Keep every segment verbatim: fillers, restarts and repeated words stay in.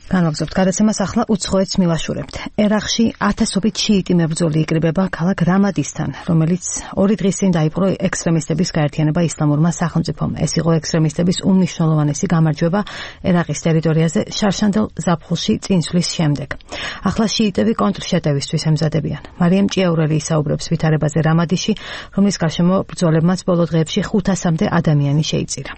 განვაგრძობთ გადაცემას ახლა უცხოეთს მილაშურებთ. ერაყში ათასობით შიიტი მებრძოლი იკრიბება ქალაქ რამადისთან, რომელიც ორი დღის წინ დაიპყრო ექსტრემისტების გაერთიანება ისლამურმა სახელმწიფომ. ეს იყო ექსტრემისტების უმნიშვნელოვანესი გამარჯვება ერაყის ტერიტორიაზე შარშანდელ ზაფხულში წინსვლის შემდეგ. ახლა შიიტები კონტრშეტევისთვის ემზადებიან. მარიამ ჭიაურელი ისაუბრებს ვითარებაზე რამადიში, რომლის გარშემო ბრძოლებმაც ბოლო დღეებში ხუთასამდე ადამიანი შეიწირა.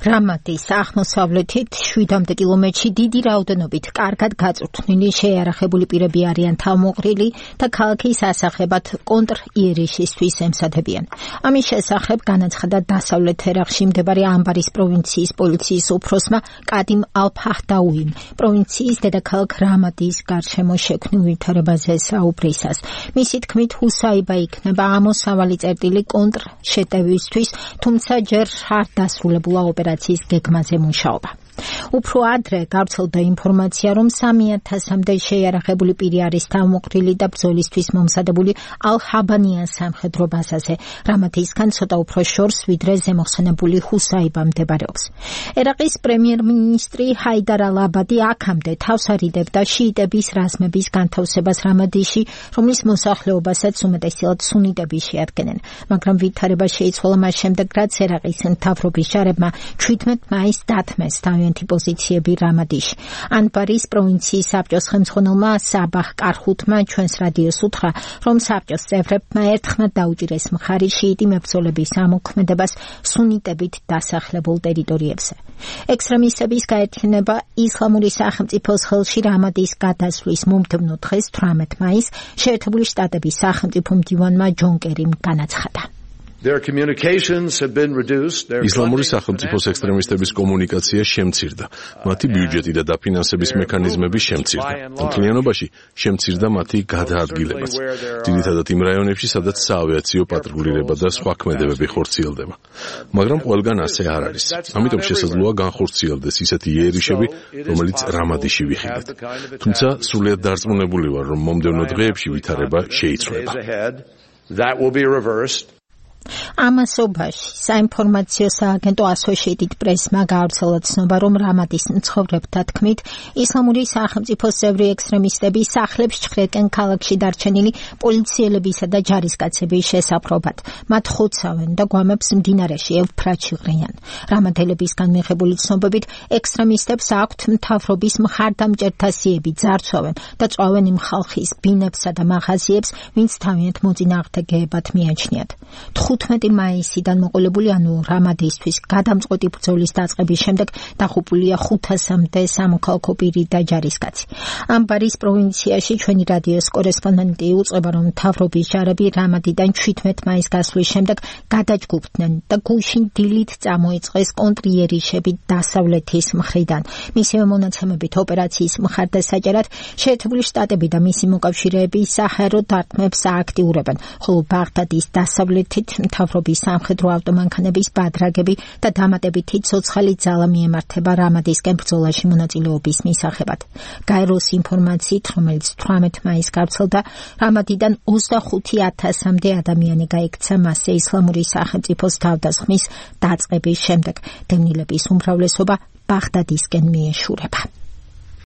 რამადის აღმოსავლეთით შვიდამდე კილომეტრში დიდი რაოდენობით კარგად გაწვრთნილი შეიარაღებული პირები არიან თავმოყრილი და ქალაქის ასახებად კონტრ-იერიშისთვის ემზადებიან. ამის შესახებ განაცხადა დასავლეთ ერაყში მდებარე ამბარის პროვინციის პოლიციის უფროსმა კადიმ ალ-ფაჰდაუიმ პროვინციის დედაქალაქ რამადის გარშემო შექმნილ ვითარებაზე საუბრისას. მისი თქმით, ჰუსაიბა იქნება ამოსავალი წერტილი კონტრ-შეტევისთვის, თუმცა ჯერ არ დასრულებულა ოპერაციის გეგმაზე მუშაობა. უფრო ადრე გავრცელდა ინფორმაცია, რომ სამი ათასამდე შეიარაღებული პირი არის თავმოყრილი და ბრძოლისთვის მომზადებული ალ-ჰაბანიან სამხედრო ბაზაზე. რამადისგან ცოტა უფრო შორს, ვიდრე ზემოხსენებული ჰუსაიბა მდებარეობს. ერაყის პრემიერ-მინისტრი ჰაიდარ ალ-აბადი აქამდე თავს არიდებდა შიიტების რაზმების განთავსებას რამადიში, რომლის მოსახლეობასაც უმეტესად სუნიტები შეადგენენ. მაგრამ ვითარება შეიცვალა მას შემდეგ, რაც ერაყის მთავრობის ჯარებმა ჩვიდმეტ მაისს დათმეს თავიანთი პოზიციები რამადიში. ანბარის პროვინციის საბჭოს ხელმძღვანელმა საბაჰ კარხუთმა ჩვენს რადიოს უთხრა, რომ საბჭოს წევრებმა ერთხმად დაუჭირეს მხარი შიიტი მებრძოლების ამოქმედებას სუნიტებით დასახლებულ ტერიტორიებზე. ექსტრემისტების გაერთიანება ისლამური სახელმწიფოს ხელში რამადის გადასვლის მომდევნო დღეს თვრამეტ მაისს შეერთებული შტატების სახელმწიფო მდივანმა ჯონ კერიმ განაცხადა. ისლამური სახელმწიფოს ექსტრემისტების კომუნიკაცია შემცირდა, მათი ბიუჯეტი და დაფინანსების მექანიზმები შემცირდა. მთლიანობაში შემცირდა მათი გადაადგილებაც. ძირითადად იმ რაიონებში, სადაც საავიაციო პატრულირება და სხვა ქმედებები ხორციელდება. მაგრამ ყველგან ასე არ არის. ამიტომ შესაძლოა განხორციელდეს ისეთი იერიშები, რომელიც რამადიში ვიხილეთ. თუმცა სრულიად დარწმუნებული ვარ, რომ მომდევნო დღეებში ვითარება შეიცვლება. ამასობაში საინფორმაციო სააგენტო Associated Press-მა გაავრცელა ცნობა, რომ რამადის მცხოვრებთა თქმით, ისლამური სახელმწიფოს წევრი ექსტრემისტები სახლებს ჩხრეკენ ქალაქში დარჩენილი პოლიციელებისა და ჯარისკაცების შესაფრობად. მათ ხოცავენ და გვამებს მდინარეში ევფრატში ღრიან. რამადელებისგან მიღებული ცნობებით, ექსტრემისტებს აქვთ მთავრობის მხარდამჭერთა სიები, ძარცვავენ და წვავენ იმ ხალხის ბინებსა და მაღაზიებს, ვინც თავიანთ მოწინააღმდეგეებად მიაჩნიათ. თხუთმეტი მაისიდან მოყოლებული, ანუ რამადისთვის გადამწყვეტი ბრძოლის დაწყების შემდეგ დაღუპულია ხუთასამდე სამოქალაქო პირი და ჯარისკაცი. ამბარის პროვინციაში ჩვენი რადიოს კორესპონდენტი უწყება, რომ მთავრობის ჯარები რამადიდან შვიდმეტ მაისს გასვლის შემდეგ გადაჯგუფდნენ და გუშინ დილით წამოიწყეს კონტრიერიშები დასავლეთის მხრიდან. მისივე მონაცემებით ოპერაციის მხარდასაჭერად შეერთებული შტატები და მისი მოკავშირეები საჰაერო დარტყმებს ააქტიურებენ, ხოლო ბაღდადის დასავლეთით მთავრობის სამხედრო ავტომანქანების ბადრაგები და დამატებითი ცოცხალი ძალა მიემართება რამადისკენ ბრძოლაში მონაწილეობის მისაღებად. გაეროს ინფორმაციით, რომელიც თვრამეტ მაისს გავრცელდა, რამადიდან ოცდახუთი ათასამდე ადამიანი გაიქცა მასზე ისლამური სახელმწიფოს თავდასხმის დაწყების შემდეგ. დევნილების უმრავლესობა ბაღდადისკენ მიეშურება.